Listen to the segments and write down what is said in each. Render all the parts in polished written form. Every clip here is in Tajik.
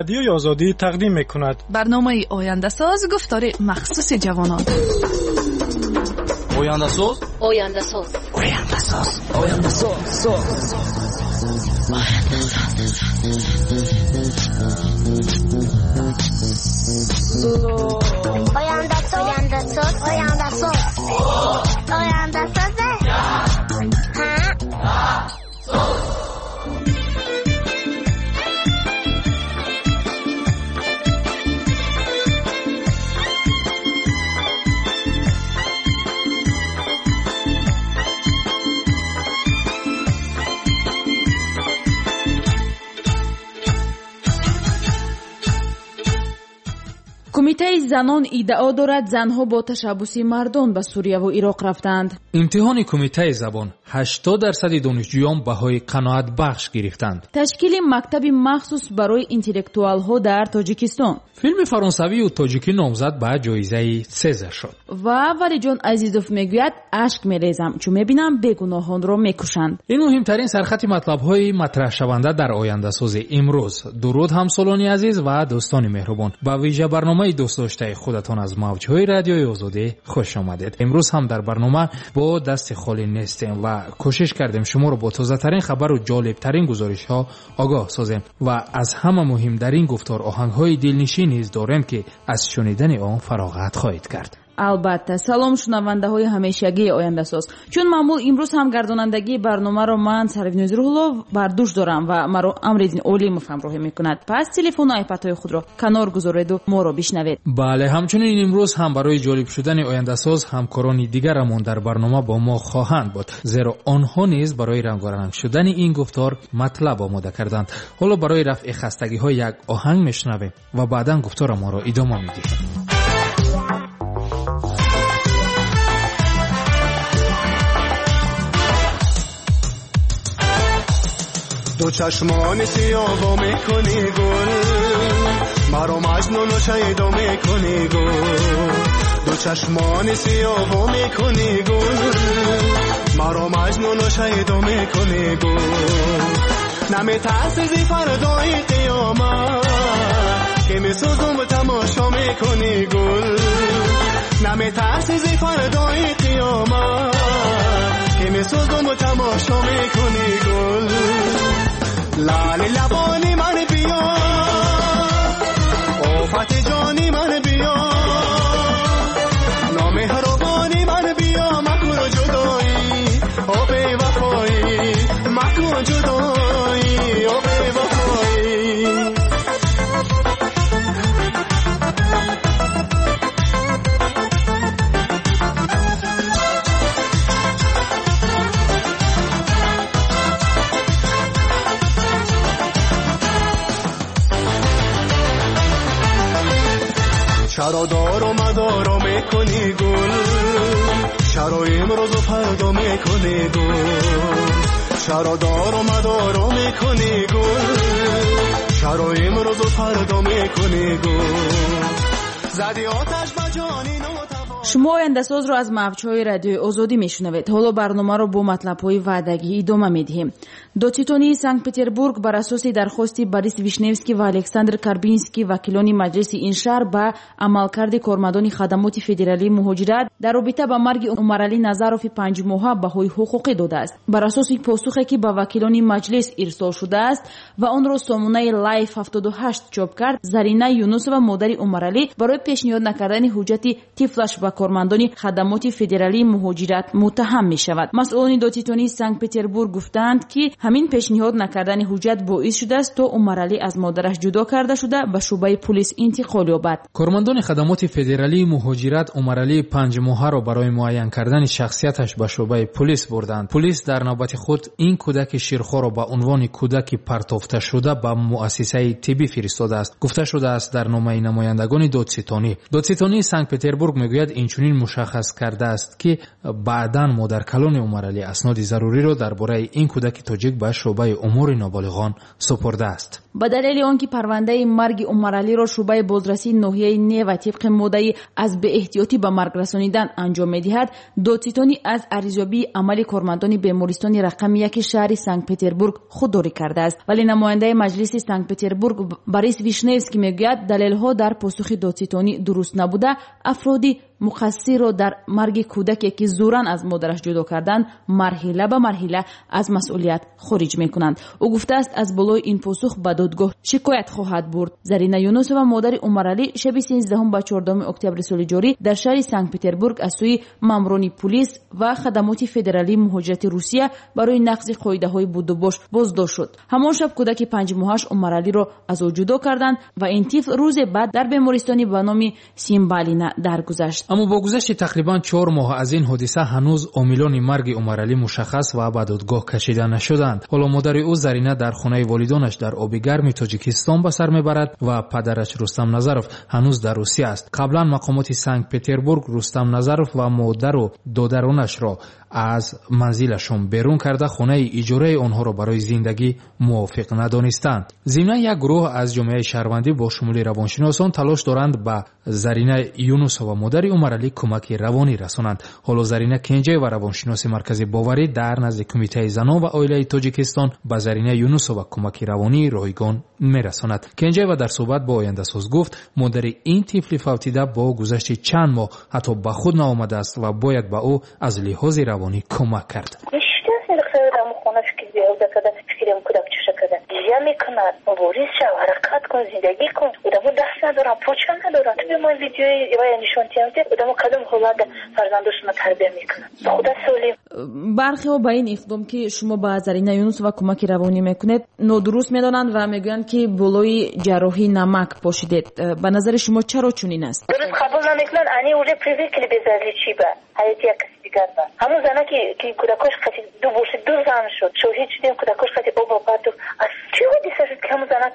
Радиои Озодӣ тақдим мекунад. Барномаи Ояндасоз, гуфтори махсуси ҷавонон. Ояндасоз, Ояндасоз, Ояндасоз, Ояндасоз, Ояндасоз, Ояндасоз, Ояндасоз, Ояндасоз. Кумитаи занон иддао дорад, занҳо бо ташаббуси мардон ба Сурияву Ироқ рафтанд. Имтиҳони кумитаи забон: 80% донишҷӯён баҳои қаноатбахш гирифтанд. Ташкили мактаби махсус барои интеллектуалҳо дар Тоҷикистон. Филми фаронсавию тоҷикӣ номзад ба ҷоизаи Сезар шуд. Ва Валиҷон Азизов мегӯяд: ашк мерезам, чун мебинам бегуноҳонро мекушанд. Ин муҳимтарин сархати матлабҳои матраҳшаванда дар Ояндасози имрӯз. Дуруд, ҳамсолони азиз ва дӯстони меҳрубон, ба вижа барномаи дӯстдоштаи худатон аз мавҷҳои Радиои Озодӣ хуш омадед. Имрӯз ҳам дар барнома бо дасти холӣ нестем ва кӯшиш кардем шуморо бо тозатарин хабару ҷолибтарин гузоришҳо огоҳ созем ва аз ҳама муҳим дар ин гуфтор оҳангҳои дилнишин низ дорем, ки аз шунидани он фароғат хоҳед кард. Албатта, салом, шунавандаҳои ҳамешагии Ояндасоз. Чун маъмул, имрӯз ҳам гардонандагии барномаро ман, Сарвиноз Рӯҳулло, бар дӯш дорам ва маро Амриддин Олимов ҳамроҳӣ мекунад. Пас телефону айпадҳои худро канор гузореду моро бишнавед. Бале, ҳамчунин имрӯз ҳам барои ҷолиб шудани Ояндасоз ҳамкорони дигарамон дар барнома бо мо хоҳанд буд, зеро онҳо низ барои рангоранг шудани ин гуфтор матлаб омода карданд. Ҳоло барои рафъи хастагиҳо як оҳанг мешунавем ва баъдан гуфторамонро идома медиҳем. Ду чашмони сиёҳ мекунӣ гул, маро маҷнуну шайдо мекунӣ гул. Ду чашмони сиёҳ мекунӣ гул, маро маҷнуну шайдо мекунӣ гул. Наметарсӣ зи фардои қиёмат, ки месӯзум тамошо мекунӣ гул. Наметарсӣ зи фардои қиёмат, ки месӯзум тамошо мекунӣ гул. Лали лабони ман биё, офати ҷони ман биё, номеҳрубони ман биё, макун ҷудоӣ, о бевафоӣ, макун ҷудоӣ, о бевафоӣ. Чаро дору мадоро мекунӣ гул, чаро имрӯзу фардо мекунӣ гул. Чаро дору мадоро мекунӣ гул, чаро имрӯзу фардо мекунӣ гул. Зади оташ ба ҷони нотавон. Шумо Ояндасозро аз мавҷҳои Радиои Озодӣ мешунавед. Ҳоло барномаро бо матлабҳои ваъдагӣ идома медиҳем. Додситонии Санкт-Петербург бар асоси дархости Борис Вишневский ва Александр Карбинский, вакилони маҷлиси ин шаҳр, ба амалкарди кормандони хадамоти федералии муҳоҷират дар робита ба марги Умаралӣ Назарови панҷмоҳа баҳои ҳуқуқӣ додааст. Бар асоси посухе, ки ба вакилони маҷлис ирсол шудааст ва онро сомонаи Лайф 78 чоп кард, Зарина Юнусова, модари Умаралӣ, барои пешниҳод накардани ҳуҷҷати тифлаш ба кормандони хадамоти федералии муҳоҷират муттаҳам мешавад. Масъулони додситонии Санкт-Петербург гуфтаанд, ки ҳамин пешниҳод накардани ҳуҷҷат боис шудааст, то Умаралӣ аз модараш ҷудо карда шуда ба шӯъбаи пулис интиқол ёбад. Кормандони хадамоти федералии муҳоҷират Умаралии панҷмоҳаро барои муайян кардани шахсияташ ба шӯъбаи пулис бурданд. Пулис дар навбати худ ин кӯдаки ширхоро ба унвони кӯдаки партофташуда ба муассисаи тиббӣ фиристодааст, гуфта шудааст дар номаи намояндагони додситонӣ. Додситонии Санкт-Петербург мегӯяд, ин инчунин мушаххас кардааст, ки баъдан модаркалони Умаралӣ асноди заруриро дар бораи ин кӯдаки тоҷик ба шӯъбаи умури ноболиғон супурдааст. Ба далели он ки парвандаи марги Умаралиро шӯъбаи бозрасии ноҳияи Нева тибқи моддаи аз беэҳтиётӣ ба марг расонидан анҷом медиҳад, додситонӣ аз арзёбии амали кормандони бемористони рақами 1 шаҳри Санкт-Петербург худдорӣ кардааст. Вале намояндаи маҷлиси Санкт-Петербург Борис Вишневский мегӯяд, далелҳо дар посухи додситонӣ дуруст набуда, афроди муқассирро дар марги кӯдаке ки зӯран аз модараш ҷудо карданд, марҳила ба марҳила аз масъулият хориҷ мекунанд. Ӯ гуфтааст, аз болои ин посух ба додгоҳ шикоят хоҳад бурд. Зарина Юнусова, модари Умаралӣ, шаби 13 ба 14 октябри соли ҷорӣ дар шаҳри Санкт-Петербург аз сӯи мамурони пулис ва хадамоти федералии муҳоҷирати Русия барои нақзи қоидаҳои будубош боздошт шуд. Ҳамон шаб кӯдаки 5 моҳаш Умаралиро аз ӯ ҷудо карданд ва ин тифл рӯзе баъд дар бемористони ба номи Симбалина даргузашт. Аммо бо гузашти тақрибан 4 моҳ аз ин ҳодиса ҳанӯз омилони марги Умаралӣ мушаххас ва ба додгоҳ кашида нашуданд. Ҳоло модари ӯ Зарина дар хонаи волидонаш дар оби гарми Тоҷикистон ба сар мебарад ва падараш Рустам Назаров ҳанӯз дар Русия аст. Қаблан мақомоти Санкт-Петербург Рустам Назаров ва модару додаронашро аз манзилашон берун карда, хонаи иҷораи онҳоро барои зиндагӣ мувофиқ надонистанд. Зимнан як гурӯҳ аз ҷомеаи шаҳрвандӣ бо шумули равоншиносон талош доранд ба Зарина Юнусова, модари Умаралӣ, кӯмаки равонӣ расонанд. Ҳоло Зарина Кенҷаева, равоншиноси маркази боварӣ дар назди Кумитаи занон ва оилаи Тоҷикистон, ба Зарина Юнусова кӯмаки равонии ройгон мерасонад. Кенҷаева дар суҳбат бо Ояндасоз гуфт, модари ин тифли фавтида бо гузашти чанд моҳ ҳатто ба худ наомадааст ва бояд ба ӯ аз лиҳози равонӣ кӯмак кард. Гиря мекунад, мубориз шав, ҳаракат кун, зиндагӣ кун. Одамо даст надоранд, поча надоранд. Ту бимон видеои вая нишон диҳам, ки одамо кадом ҳолат фарзандошонро тарбия мекунанд. Худа солим. Бархеҳо ба ин иқдом, ки шумо ба Зарина Юнусова кӯмаки равонӣ мекунед, нодуруст медонанд ва мегӯянд, ки болои ҷарроҳӣ намак пошидед. Ба назари шумо чаро чунин аст? Дуруст қабул намекунанд, они уже привыкли безразличие ба ҳаёти як каси дигар ба. Ҳамон зана ки кӯдакош қати ду бошид, ду зан шуд, шоҳид шудем, кӯдакош қати оба партуф. Аз чӣ ҳодиса шуд, ки ҳамон занак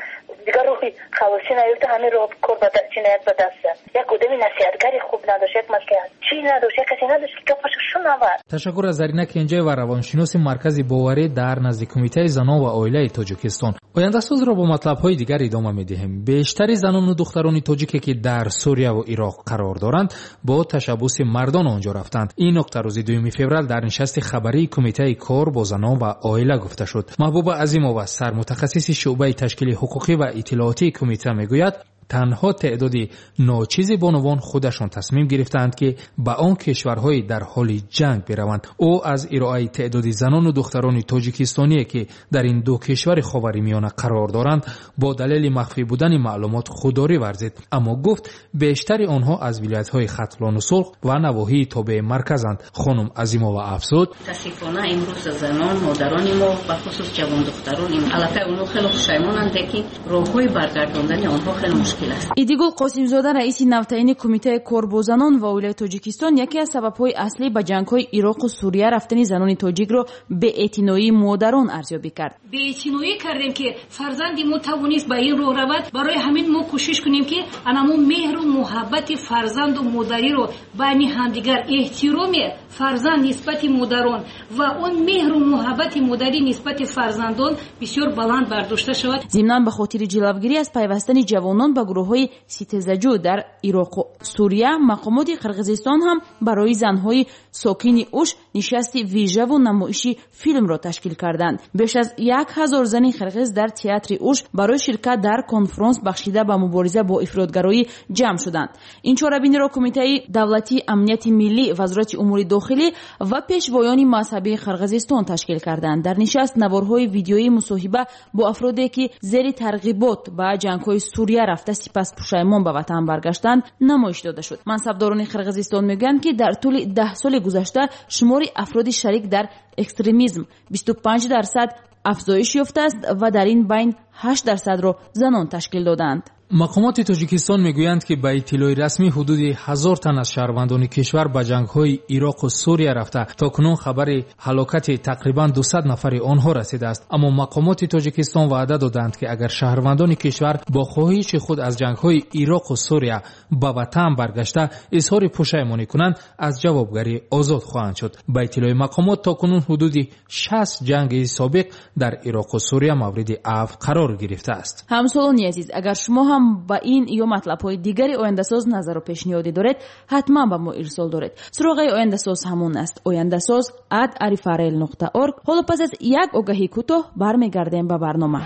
дигар рӯҳи халосӣ наёфта, ҳамин роҳ кор ба ҷиноят ба даст зад. Як одами насиҳатгари хуб надошт, як маслиҳатчӣ надошт, як касе надошт, ки гапашо шунавад. Ташаккур аз Зарина Кенҷаева, равоншиноси маркази боварӣ дар назди Кумитаи занон ва оилаи Тоҷикистон. Ояндасозро бо матлабҳои дигар идома медиҳем. Бештари занону духтарони тоҷике, ки дар Сурияву Ироқ қарор доранд, бо ташаббуси мардон он ҷо рафтанд. Ин нуқта рӯзи 2 феврал дар нишасти хабарии Кумитаи кор бо занон ва оила гуфта шуд. Маҳбуба Азимова, сармутахассиси шӯъбаи ташкили ҳуқуқӣ ва иттилоотии кумита, мегӯяд, танҳо теъдоди ночизи бонувон худашон тасмим гирифтаанд, ки ба он кишварҳои дар ҳоли ҷанг бираванд. Ӯ аз ироаи теъдоди занону духтарони тоҷикистоние, ки дар ин ду кишвари Ховари Миёна қарор доранд, бо далели махфӣ будани маълумот худдорӣ варзид. Аммо гуфт, бештари онҳо аз вилоятҳои Хатлону Сулх ва навоҳии тобеи марказанд. Хонум Азимова афзуд: мутаассифона имрӯз занон, модарони мо, бахусус ҷавондухтарон, аллакай онҳо хеле хушаймонанд, лекин роҳҳои баргардондани онҳо хеле мушкил. Идигул Қосимзода, раиси навтаини Кумитаи кор бо занон ва оилаи Тоҷикистон, яке аз сабабҳои аслӣ ба ҷангҳои Ироқу Сурия рафтани занони тоҷикро беэътиноии модарон арзёбӣ кард. Беэътиноӣ кардем, ки фарзанди мо тавонист ба ин роҳ равад. Барои ҳамин мо кӯшиш кунем, ки анамун меҳру муҳаббати фарзанду модариро байни ҳамдигар, эҳтироми фарзанд нисбати модарон ва он меҳру муҳаббати модарӣ нисбати фарзандон бисёр баланд бардошта шавад. Зимнан ба хотири ҷилавгирӣ аз пайвастани ҷавонон ба гурӯҳҳои ситезаҷӯ дар Ироқу Сурия, мақомоти Қирғизистон ҳам барои занҳои сокини Уш нишасти вижаву намоиши филмро ташкил карданд. Беш аз 1000 зани қирғиз дар театри Уш барои ширкат дар конфронс бахшида ба мубориза бо ифротгароӣ ҷамъ шуданд. Ин чорабиниро Кумитаи давлатии амнияти миллӣ, Вазорати умури дохилӣ ва пешвоёни мазҳабии Қирғизистон ташкил карданд. Дар нишаст наворҳои видеоии мусоҳиба бо афроде, ки зери тарғибот ба ҷангҳои Сурия рафта сипас пушаймон ба ватан баргаштанд, намоиш дода шуд. Мансабдорони Қирғизистон мегӯянд, ки дар тӯли 10 соли гузашта шумори афроди шарик дар экстремизм 25% афзоиш ёфтааст ва дар ин байн 8%-ро занон ташкил доданд. Мақомоти Тоҷикистон мегӯянд, ки ба иттилои расмӣ ҳудуди 1000 тан аз шаҳрвандони кишвар ба ҷангҳои Ироқу Сурия рафта, то кунун хабари ҳалокати тақрибан 200 нафари онҳо расидааст. Аммо мақомоти Тоҷикистон ваъда додаанд, ки агар шаҳрвандони кишвар бо хоҳиши худ аз ҷангҳои Ироқу Сурия ба ватан баргашта изҳори пушаймонӣ кунанд, аз ҷавобгарӣ озод хоҳанд шуд. Ба иттилои мақомот то кунун ҳудуди 60 ҷанги собиқ дар Ироқу Сурия мавриди афв қарор гирифтааст. Ҳамсолони азиз, агар шумо ҳам ба ин ё матлабҳои дигари ояндасоз назару пешниҳодӣ доред, ҳатман ба мо ирсол доред. Суроғаи ояндасоз ҳамон аст: oyandasoz@rfrl.org. Ҳоло пас аз як огаҳии кӯтоҳ бармегардем ба барнома.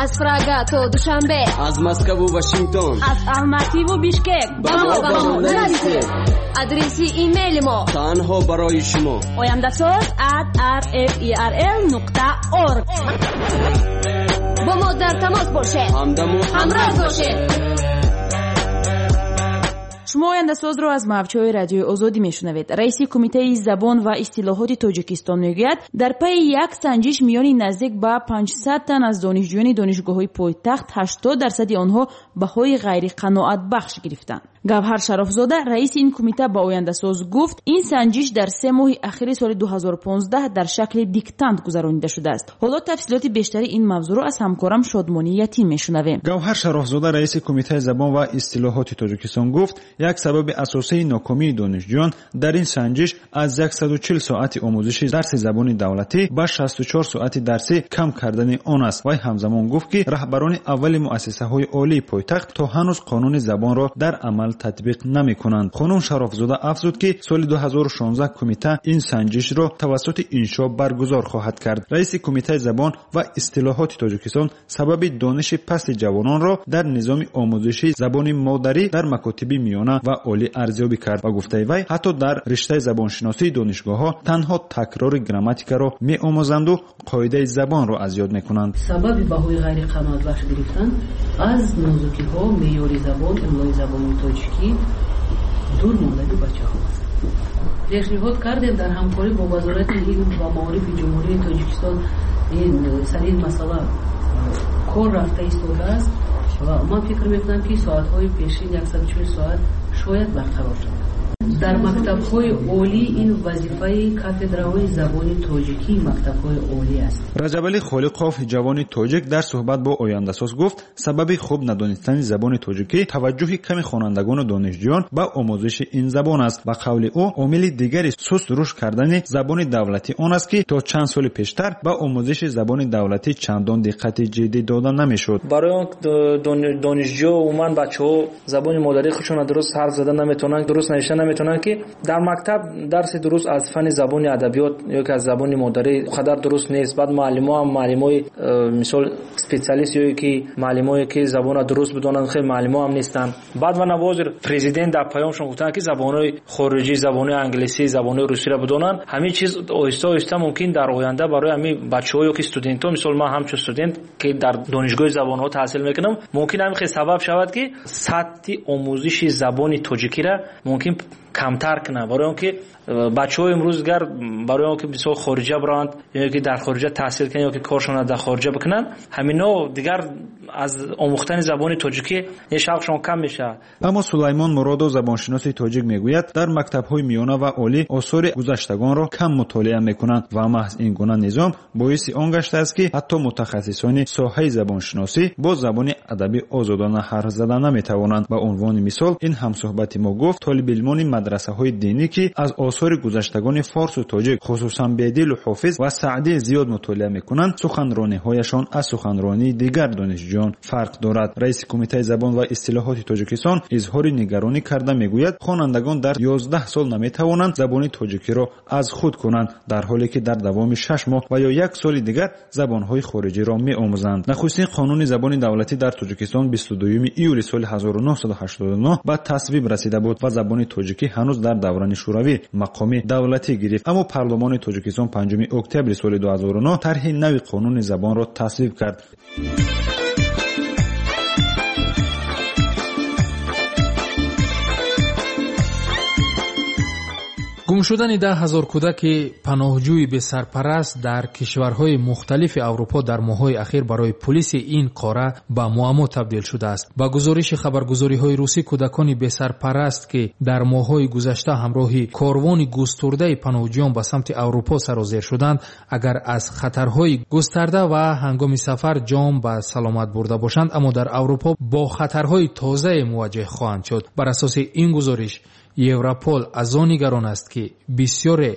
Аз Прага то Душанбе, аз Москву Вашингтон, аз Алмативу Бишкек ба мо нависед. Адреси имейли мо танҳо барои шумо: oyandasoz@rferl.org. Бо мо дар тамос бошед, ҳамдаму ҳамроз бошед. Шумо ояндасозро аз мавҷҳои Радиои Озодӣ мешунавед. Раиси Кумитаи забон ва истилоҳоти Тоҷикистон мегӯяд, дар пайи як санҷиш миёни наздик ба 500 тан аз донишҷӯёни донишгоҳҳои пойтахт 80% онҳо баҳои ғайриқаноатбахш гирифтанд. Гавҳар Шарофзода, раиси ин кумита, ба ояндасоз гуфт, ин санҷиш дар 3 моҳи ахири соли 2015 дар шакли диктант гузаронида шудааст. Ҳоло тафсилоти бештари ин мавзӯъро аз ҳамкорам Шодмонӣ Ятим мешунавем. Гавҳар Шарофзода, раиси Кумитаи забон ва истилоҳоти Тоҷикистон гуфт, як сабаби асосии нокомии донишҷӯён дар ин санҷиш аз 140 соати омӯзиши дарси забони давлатӣ ба 64 соати дарсӣ кам кардани он аст. Вай ҳамзамон гуфт, ки раҳбарони аввали муассисаҳои олии пойтахт то ҳанӯз қонуни забонро дар амал татбиқ намекунанд. Хонум Шарофзода афзуд, ки соли 2016 кумита ин санҷишро тавассути иншо баргузор хоҳад кард. Раиси Кумитаи забон ва истилоҳоти Тоҷикистон сабаби дониши пасти ҷавононро дар низоми омӯзиши забони модарӣ дар макотиби миёна ва олӣ арзёбӣ кард. Ба гуфтаи вай, ҳатто дар риштаи забоншиносии донишгоҳҳо танҳо такрори грамматикаро меомӯзанду қоидаи забонро аз ёд мекунанд. Сабаби баҳои ғайриқаноатбахш гирифтан аз нозукиҳо, меъёри забон, имлои забони тоҷикӣ дур мондани бачаҳо аст. Пешниҳод кардем дар ҳамкорӣ бо Вазорати илм ва маорифи Ҷумҳурии Тоҷикистон ин сари ин масъала кор рафта истодааст ва ман фикр мекунам, ки соатҳои пешин 140 соат шояд барқарор шавад. Дар мактабҳои олӣ ин вазифаи кафедраҳои забони тоҷикии мактабҳои олӣ аст. Раҷабалӣ Холиқов, ҷавони тоҷик, дар суҳбат бо ояндасоз гуфт, сабаби хуб надонистани забони тоҷикӣ таваҷҷӯҳи ками хонандагону донишҷӯён ба омӯзиши ин забон аст. Ба қавли ӯ, омили дигари суст рушд кардани забони давлатӣ он аст, ки то чанд соли пештар ба омӯзиши забони давлатӣ чандон диққати ҷиддӣ дода намешуд. Барои он донишҷӯ умуман бачаҳо забони модарии худшонро дуруст ҳарф зада наметавонанд, дуруст навишта наметавонанд, ки дар мактаб дарси дуруст аз фани забони адабиёт ё ки аз забони модарӣ қадар дуруст нест. Баъд муаллимо ҳам муаллимои мисол специалист ё ки муаллимое ки забонро дуруст бидонанд, хеле муаллимо ҳам нестанд. Баъд ва навозир президент дар паёмшон гуфтанд, ки забонҳои хориҷӣ, забонҳои англисӣ, забонҳои русиро бидонанд. Ҳамин чиз оҳиста оҳиста мумкин дар оянда барои ҳамин бачаҳо ё ки студентҳо, мисол ман ҳамчун студент ки дар донишгоҳи забонҳо таҳсил мекунам, мумкин ҳамин хел сабаб шавад, ки сатҳи омӯзиши забони тоҷикиро мумкин камтар кунад. Барои он ки бачаҳо имрӯз дигар барои он ки мисол хориҷа бираванд ё ки дар хориҷа таҳсил кунанд ё ки коршонро дар хориҷа бикунанд, ҳамино дигар аз омӯхтани забони тоҷикӣ шавқшон кам мешавад. Аммо Сулаймон Муродов, забоншиноси тоҷик, мегӯяд, дар мактабҳои миёна ва олӣ осори гузаштагонро кам мутолиа мекунанд ва маҳз ин гуна низом боиси он гаштааст, ки ҳатто мутахассисони соҳаи забоншиносӣ бо забони адабӣ озодона ҳарф зада наметавонанд. Ба унвони мисол, ин ҳамсуҳбати мо гуфт, толибилмони мадрасаҳои динӣ, ки аз осори гузаштагони форсу тоҷик, хусусан Бедилу Ҳофиз ва Саъдӣ зиёд мутолиа мекунанд, суханрониҳояшон аз суханронии дигар донишҷӯён фарқ дорад. Раиси Кумитаи забон ва истилоҳоти Тоҷикистон изҳори нигаронӣ карда мегӯяд, хонандагон дар 11 сол наметавонанд забони тоҷикиро аз худ кунанд, дар ҳоле ки дар давоми 6 моҳ ва ё як соли дигар забонҳои хориҷиро меомӯзанд. Нахустин қонуни забони давлатӣ дар Тоҷикистон 22 июли соли 1989 ба тасвиб расида буд ва забони тоҷикӣ ҳанӯз дар давраи шӯравӣ мақоми давлатӣ гирифт. Аммо парлумони Тоҷикистон 5 октябри соли 2009 тарҳи нави қонуни забонро тасвиб кард. Гум шудани 10 000 кӯдаки паноҳҷӯи бесарпараст дар кишварҳои мухталифи Аврупо дар моҳҳои ахир барои пулиси ин қора ба муаммо табдил шудааст. Ба гузориши хабаргузориҳои русӣ, кӯдакони бесарпараст, ки дар моҳҳои гузашта ҳамроҳи корвони густурдаи паноҳҷӯён ба самти Аврупо сарозер шуданд, агар аз хатарҳои густарда ва ҳангоми сафар ҷон ба саломат бурда бошанд, аммо дар Аврупо бо хатарҳои тозае мувоҷеҳ хоҳанд шуд. Бар асоси ин гузориш, Европол аз он нигарон аст, ки бисёре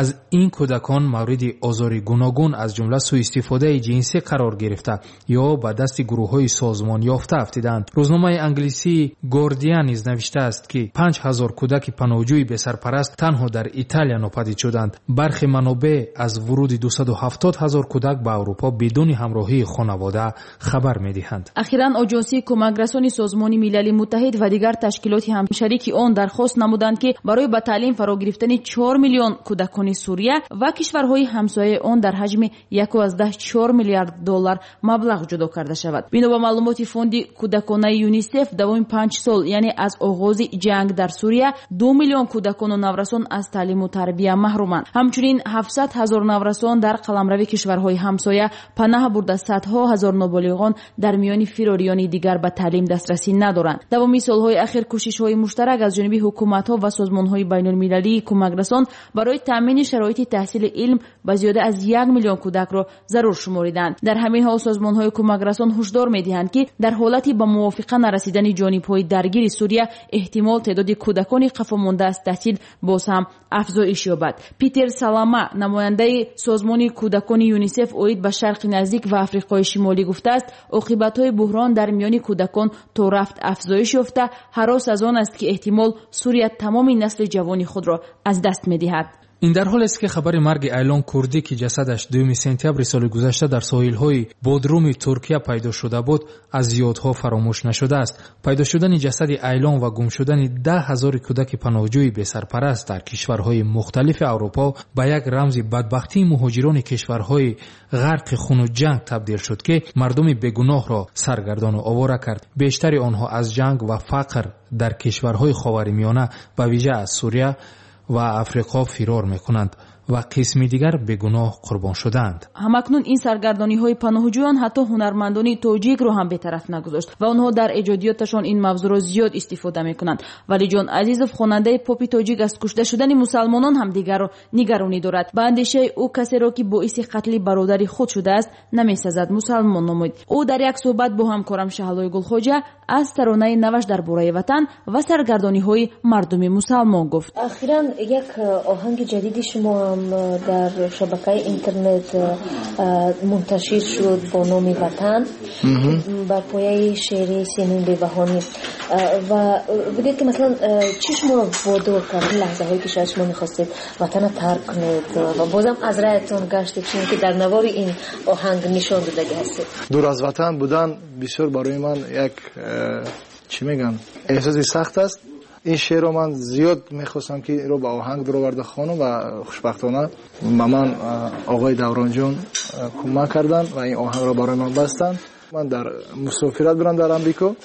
аз ин кӯдакон мавриди озори гуногун, аз ҷумла сӯистифодаи ҷинсӣ қарор гирифта ё ба дасти гурӯҳҳои созмонёфта афтидаанд. Рӯзномаи англисии Гордиан низ навиштааст, ки 5000 кӯдаки паноҳҷӯи бесарпараст танҳо дар Италия нопадид шуданд. Бархе манобеъ аз вуруди 270 ҳазор кӯдак ба Аврупо бидуни ҳамроҳии хонавода хабар медиҳанд. Ахиран Оҷонсии кӯмакрасони Созмони Милали Муттаҳид ва дигар ташкилоти ҳамшарики он дархост намуданд, ки барои ба таълим фаро гирифтани 4 миллион кӯдакони Сурия ва кишварҳои ҳамсояи он дар ҳаҷми 1,4 миллиард доллар маблағ ҷудо карда шавад. Бино ба маълумоти фонди кӯдаконаи ЮНИСЕФ, давоми 5 сол, яъне аз оғози ҷанг дар Сурия, 2 миллион кӯдакону наврасон аз таълиму тарбия маҳруманд. Ҳамчунин 700 000 наврасон дар қаламрави кишварҳои ҳамсоя панаҳ бурда, садҳо ҳазор ноболиғон дар миёни фирориёни дигар ба таълим дастрасӣ надоранд. Давоми солҳои ахир кӯшишҳои муштарак аз ҷониби ҳукуматҳо ва созмонҳои байнулмилалии кӯмакрасон барои таъмини шароити таҳсили илм ба зиёда аз 1 миллион кӯдакро зарур шумориданд. Дар ҳамин ҳол созмонҳои кӯмакрасон ҳушдор медиҳанд, ки дар ҳолати ба мувофиқа нарасидани ҷонибҳои даргири Сурия, эҳтимол теъдоди кӯдакони қафомонда аз таҳсил боз ҳам афзоиш ёбад. Питер Салама, намояндаи созмони кӯдакони ЮНИСЕФ оид ба Шарқи Наздик ва Африқои Шимолӣ, гуфтааст, оқибатҳои буҳрон дар миёни кӯдакон то рафт афзоиш ёфта, ҳарос аз он аст, ки эҳтимол Сурия тамоми насли ҷавони худро аз даст медиҳад. Ин дар ҳолест, ки хабари марги Айлон Курдӣ, ки ҷасадаш 2 сентябри соли гузашта дар соҳилҳои Бодруми Туркия пайдо шуда буд, аз ёдҳо фаромӯш нашудааст. Пайдо шудани ҷасади Айлон ва гум шудани 10 ҳазори кӯдаки паноҳҷӯи бесарпараст дар кишварҳои мухталифи Аврупо ба як рамзи бадбахтии муҳоҷирони кишварҳои ғарқи хуну ҷанг табдил шуд, ки мардуми бегуноҳро саргардону овора кард. Бештари онҳо аз ҷанг ва фақр дар кишварҳои Ховари Миёна, ба вижа аз Сурия ва Африқо фирор мекунанд ва қисми дигар бегуноҳ қурбон шудаанд. Ҳамакнун ин саргардониҳои паноҳҷӯён ҳатто ҳунармандони тоҷикро ҳам бетараф нагузошт ва онҳо дар эҷодиёташон ин мавзӯъро зиёд истифода мекунанд. Валиҷон Азизов, хонандаи попи тоҷик, аз кушта шудани мусалмонон ҳам дигарро нигаронӣ дорад. Ба андешаи ӯ, касеро, ки боиси қатли бародари худ шудааст, намесазад мусалмон номид. Ӯ дар як суҳбат бо ҳамкорам Шаҳлои Гулхоҷа аз таронаи наваш дар бораи ватан ва саргардониҳои мардуми мусалмон гуфт. Ахиран як оҳанги ҷадиди шумо ҳам дар шабакаи интернет мунташир шуд бо номи «Ватан» бар пояи шеъри Симин Бебаҳонӣ. Ва бигӯед, ки масалан чӣ шуморо водор кард, лаҳзаҳое ки шояд шумо мехостед ватанро тарк кунед ва бозам аз раятон гаштед, чунки дар навори ин оҳанг нишон додагӣ ҳастед? Дур аз ватан будан бисёр барои ман як, чӣ мегӯям, эҳсоси сахт аст. Ин шеърро ман зиёд мехостам, ки инро ба оҳанг дуроварда хонам ва хушбахтона ба ман оғои Давронҷон кӯмак карданд ва ин оҳангро барои ман бастанд. Ман дар мусофират будам дар Амрико.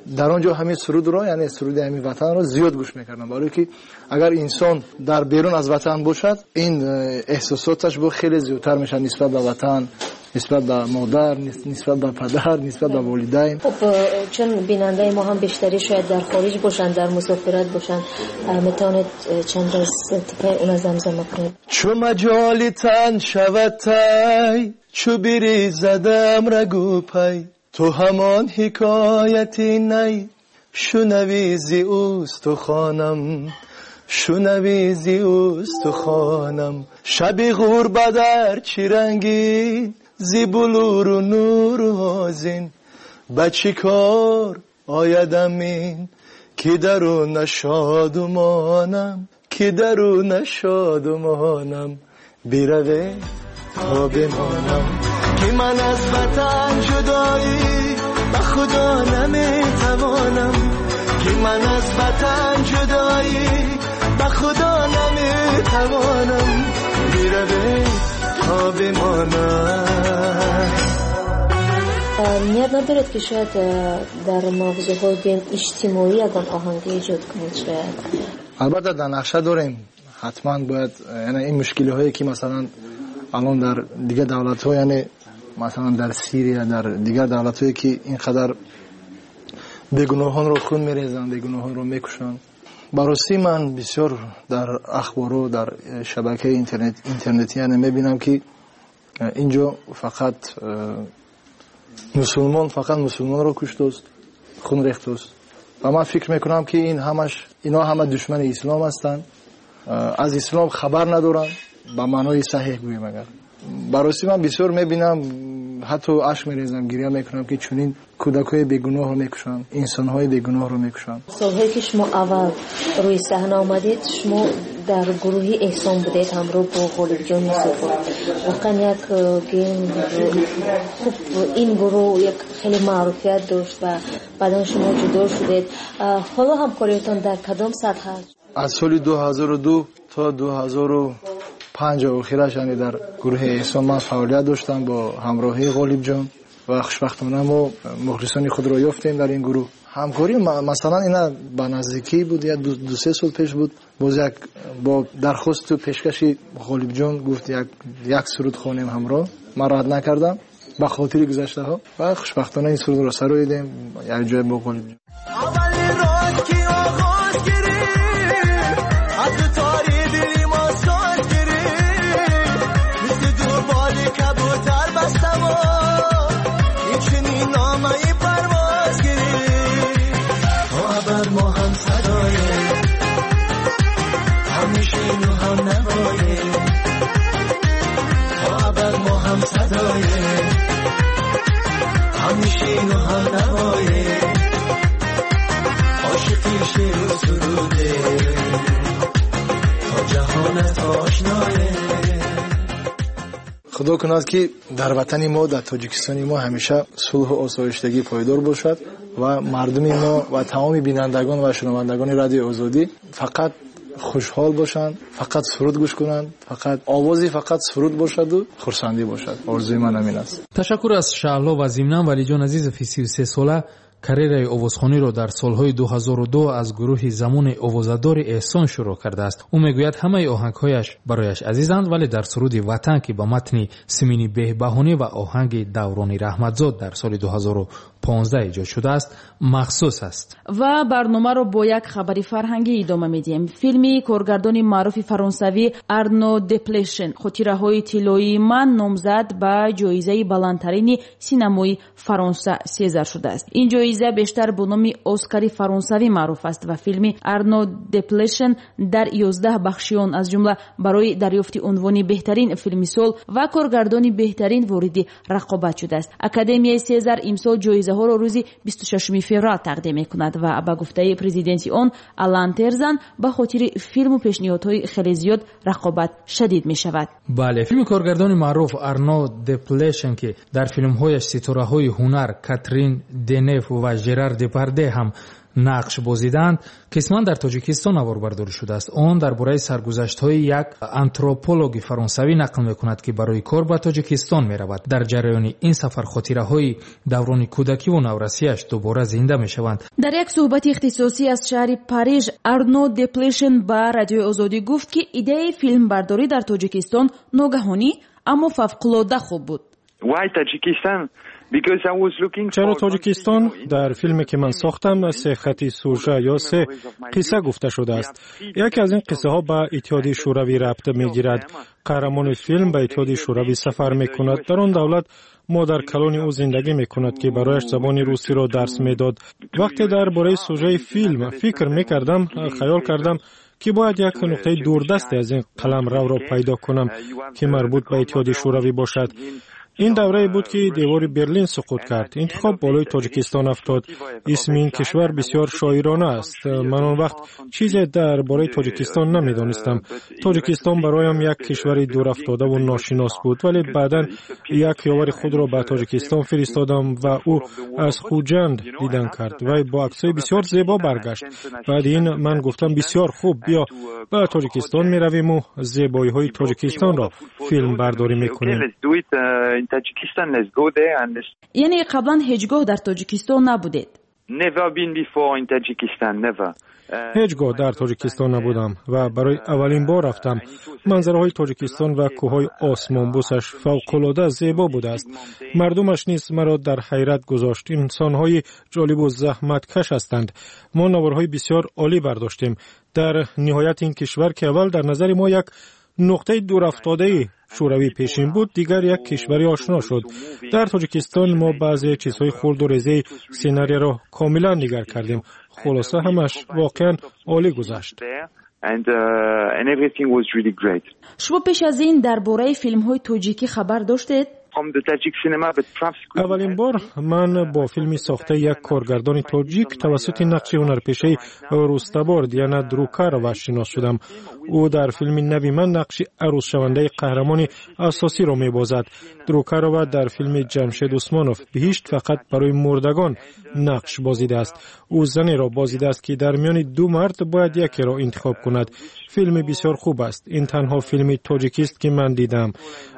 Дар он ҷо ҳамин сурудро, яъне суруди ҳамин ватанро зиёд гӯш мекардам, барое ки агар инсон дар берун аз ватан бошад, ин эҳсосоташ бо хеле зиёдтар мешавад нисбат ба ватан, нисбат ба модар, нисбат ба падар, нисбат ба волидайн. Хуб, чун бинандаи мо ҳам бештарӣ шояд дар хориҷ бошанд, дар мусофират бошанд, метавонед чанд аз тикаи она замзама кунед? Чу маҷоли тан шавад тай, чу бирезадам рагу пай, ту ҳамон ҳикояти най шунавӣ зи устухонам, шунавӣ зи устухонам. Шаби ғурбат дар чӣ рангин, зи булуру нуру озин, ба чӣ кор оядам ин, ки дару нашодумонам, ки дару нашодумонам, бираве то бимонам, ки ман аз ватан ҷудоӣ ба худо наметавонам, ки ман аз ватан ҷудоӣ ба худо наметавонам, бираве то бимонам. Ният надоред, ки шояд дар мавзӯъҳои гӯем иҷтимоӣ ягон оҳанге эҷод кунед шояд? Албатта, дар нақша дорем. Ҳатман бояд, яъне ин мушкилиҳое ки масалан алон дар дигар давлатҳо, яъне масалан дар Сирия, дар дигар давлатҳое ки инқадар бегуноҳонро хун мерезанд, бегуноҳонро мекушанд. Ба ростӣ ман бисёр дар ахбору дар шабакаи интернетӣ яъне мебинам ки инҷо фақат мусулмон, фақат мусулмонро куштааст, хун рехтааст. Ва ман фикр мекунам ки ин ҳамаш, инҳо ҳама душмани ислом ҳастанд, аз ислом хабар надоранд, ба маънои саҳеҳ гӯем агар. Ба ростӣ ман бисёр мебинам, ҳатто ашк мерезам, гиря мекунам ки чунин кӯдакҳои бегуноҳро мекушанд, инсонҳои бегуноҳро мекушанд. Солҳое ки шумо аввал рӯи саҳна омадед, шумо дар гурӯҳи Эҳсон будед ҳамроҳ бо Ғолибҷон Юсупов. Воқеан як хуб ин гурӯҳ як хеле маъруфият дошт ва баъдан шумо ҷудо шудед. Ҳоло ҳамкориятон дар кадом сатҳ аст? Аз соли 2002 то 2005 охираш, яъне дар гурӯҳи Эҳсон ман фаъолият доштам бо ҳамроҳии Ғолибҷон ва хушбахтона мо мухлисони худро ёфтем дар ин гурӯҳ. Ҳамкорӣ масалан ина ба наздикӣ буд, як ду-се сол пеш буд. Боз як бо дархосту пешкаши Ғолибҷон гуфт як суруд хонем ҳамроҳ. Ман рад накардам ба хотири гузаштаҳо ва хушбахтона ин сурудро сароидем як ҷой бо Ғолибҷон. Худо кунад ки дар ватани мо, дар Тоҷикистони мо ҳамеша сулҳу осоиштагӣ пойдор бошад ва мардуми мо ва тамоми бинандагон ва шунавандагони Радиои Озодӣ фақат хушҳол бошанд, фақат суруд гӯш кунанд, фақат овози фақат суруд бошаду хурсандӣ бошад. Орзуи ман ҳамин аст. Ташаккур аз Шаҳло ва зимнан Валиҷон Азизов 33 сола карьераи овозхониро дар солҳои 2002 аз гурӯҳи замони овозадори Эҳсон шурӯъ кардааст. Ӯ мегӯяд ҳамаи оҳангҳояш барояш азизанд, вале дар суруди Ватан, ки ба матни Симини Беҳбаҳонӣ ва оҳанги Даврони Раҳматзод дар соли 2015 эҷод шудааст, махсус аст. Ва барномаро бо як хабари фарҳангӣ идома медиҳем. Филми коргардони маъруфи фаронсавӣ Арно Деплешен «Хотираҳои тиллоии ман» номзад ба ҷоизаи баландтарини синамои Фаронса Сезар шудааст. Ин ҷоиза бештар бо номи Оскари фаронсавӣ маъруф аст ва филми Арно Деплешен дар 11 бахши он, аз ҷумла барои дарёфти унвони беҳтарин филми сол ва коргардони беҳтарин вориди рақобат шудааст. Академияи Сезар имсол ҷоизаҳоро рӯзи 26 феврал тақдим мекунад ва ба гуфтаи президенти он Алан Терзан ба хотири филму пешниҳодҳои хеле зиёд рақобат шадид мешавад. Бале, филми коргардони маъруф Арно Деплешен, ки дар филмҳояш ситораҳои ҳунар Катрин Денев ва Жерар Депарде ҳам нақш бозидаанд, қисман дар Тоҷикистон наворбардорӣ шудааст. Он дар бораи саргузаштҳои як антропологи фаронсавӣ нақл мекунад, ки барои кор ба Тоҷикистон меравад. Дар ҷараёни ин сафар хотираҳои даврони кӯдакиву наврасиаш дубора зинда мешаванд. Дар як суҳбати ихтисосӣ аз шаҳри Париж Арно Деплешен ба Радиои Озодӣ гуфт, ки идеяи филмбардорӣ дар Тоҷикистон ногаҳонӣ, аммо фавқулода хуб буд. Чаро Тоҷикистон? Дар филме ки ман сохтам, се хати сужа ё се қисса гуфта шудааст. Яке аз ин қиссаҳо ба Иттиҳоди Шӯравӣ рабт мегирад. Қаҳрамони филм ба Иттиҳоди Шӯравӣ сафар мекунад. Дар он давлат модаркалони ӯ зиндагӣ мекунад, ки барояш забони русиро дарс медод. Вақте дар бораи сужаи филм фикр мекардам, хаёл кардам, ки бояд як нуқтаи дурдасте аз ин қаламравро пайдо кунам, ки марбут ба Иттиҳоди Шӯравӣ бошад. Ин даврае буд, ки девори Берлин суқут кард. Интихоб болои Тоҷикистон афтод. Исми ин кишвар бисёр шоирона аст. Ман он вақт чизе дар бораи Тоҷикистон намедонистам. Тоҷикистон бароям як кишвари дурафтодаву ношинос буд, вале баъдан як ёвари худро ба Тоҷикистон фиристодам ва ӯ аз Хуҷанд дидан кард. Вай бо аксҳои бисёр зебо баргашт. Баъди ин ман гуфтам: бисёр хуб, биё ба Тоҷикистон меравиму зебоиҳои Тоҷикистонро филмбардорӣ мекунем. Яъне қаблан ҳеҷ гоҳ дар Тоҷикистон набудед? Ҳеҷ гоҳ дар Тоҷикистон набудам ва барои аввалин бор рафтам. Манзараҳои Тоҷикистон ва кӯҳҳои осмонбӯсаш фавқулода зебо будааст. Мардумаш низ маро дар ҳайрат гузошт. Инсонҳои ҷолибу заҳматкаш ҳастанд. Мо наворҳои бисёр олӣ бардоштем. Дар ниҳоят ин кишвар, ки аввал дар назари мо як нуқтаи дурафтодаи шӯравии пешин буд, дигар як кишвари ошно шуд. Дар Тоҷикистон мо баъзе чизҳои хурду резаи сценарияро комилан дигар кардем. Хулоса, ҳамаш воқеан олӣ гузашт. Шумо пеш аз ин дар бораи филмҳои тоҷикӣ хабар доштед? Аввалин бор ман бо филми сохтаи як коргардони тоҷик тавассути нақши ҳунарпешаи рустабор Диана Друкарова шинос шудам. Ӯ дар филми нави ман нақши арӯзшавандаи қаҳрамони асосиро мебозад. Друкарова дар филми Ҷамшед Усмонов «Биҳишт фақат барои мурдагон» нақш бозидааст. Ӯ занеро бозидааст, ки дар миёни ду мард бояд якеро интихоб кунад. Филми бисёр хуб аст. Ин танҳо филми тоҷикист, ки ман дидам.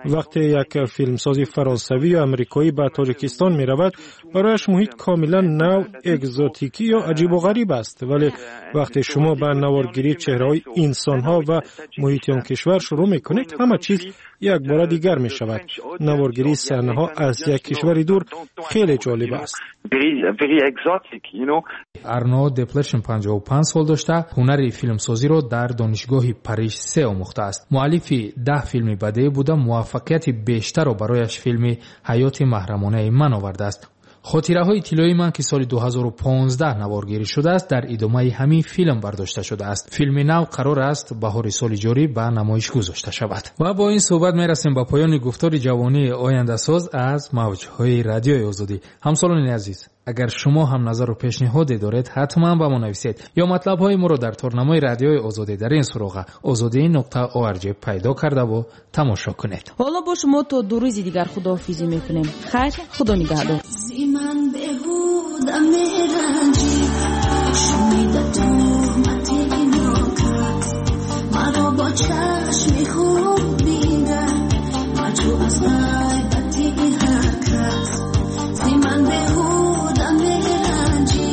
Вақте як филмсози фаронсавӣ ё амрикоӣ ба Тоҷикистон меравад, барояш муҳит комилан нав, экзотикӣ ё аҷибу ғариб аст. Вале вақте шумо ба наворгирии чеҳраҳои инсонҳо ва муҳити он кишвар шурӯъ мекунед, ҳама чиз якбора дигар мешавад. Наворгирии саҳнаҳо аз як кишвари дур хеле ҷолиб аст. Арно Деплешин 55 сол дошта, ҳунари филмсозиро дар донишгоҳи Париж се омӯхтааст. Муаллифи 10 филми бадеӣ буда, муваффақияти бештарро барояш филми «Ҳаёти маҳрамонаи ман» овардааст. Хотираҳои тиллоии ман, ки соли 2015 наворгирӣ шудааст, дар идомаи ҳамин филм бардошта шудааст. Филми нав қарор аст баҳори соли ҷорӣ ба намоиш гузошта шавад. Ва бо ин суҳбат мерасем ба поёни гуфтори ҷавонии ояндасоз аз мавҷҳои Радиои Озодӣ. Ҳамсолони азиз, агар шумо ҳам назару пешниҳоде доред, ҳатман ба мо нависед ё матлабҳои моро дар торнамои Радиои Озодӣ дар ин суроға ozodi.org пайдо кардаву тамошо кунед. Ҳоло бо шумо то 2 рӯзи дигар худоҳофизӣ мекунем. Хайр, худо нигаҳдор. Ман беҳуда меранҷӣ, шунида туҳмати нокас, маро бо чашми хуб бингар, маҷӯ аз ғайбати ҳар кас. Зи ман беҳуда меранҷӣ,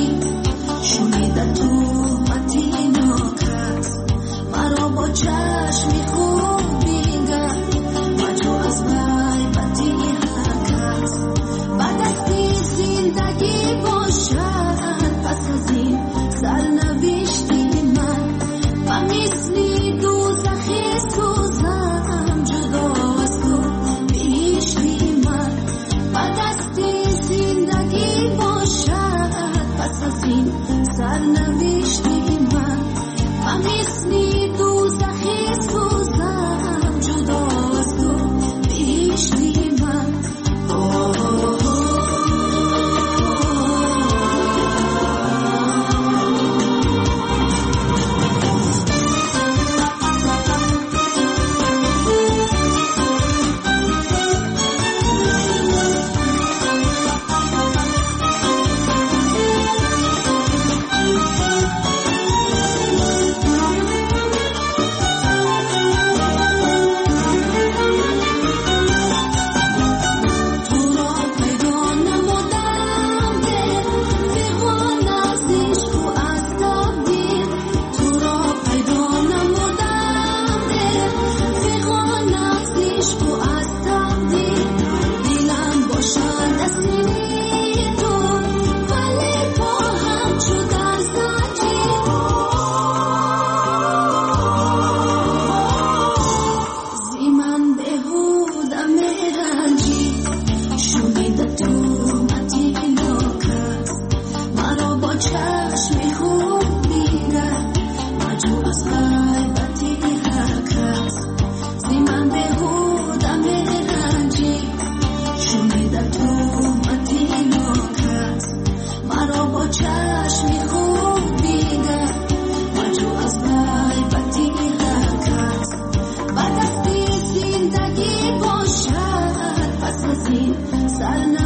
шунида туҳмати нокас, маро бо чашми хуб бингар, маҷӯ аз ғайбати ҳар кас. Ба дасти зиндагӣ бошад пас аз ин сарнавишти ман, ба мисли дӯзахи сӯзам ҷудо аз ту биҳишти ман. Ба дасти зиндагӣ бошад пас аз ин сарнавишти ман, ба мисли дӯзахи сӯзам ҷудо аз ту биҳишти ман. Чашми хуб бингар, маҷӯ аз ғайбати ҳар кас. Ба дасти зиндагӣ бошад пас аз ин сарнавишти.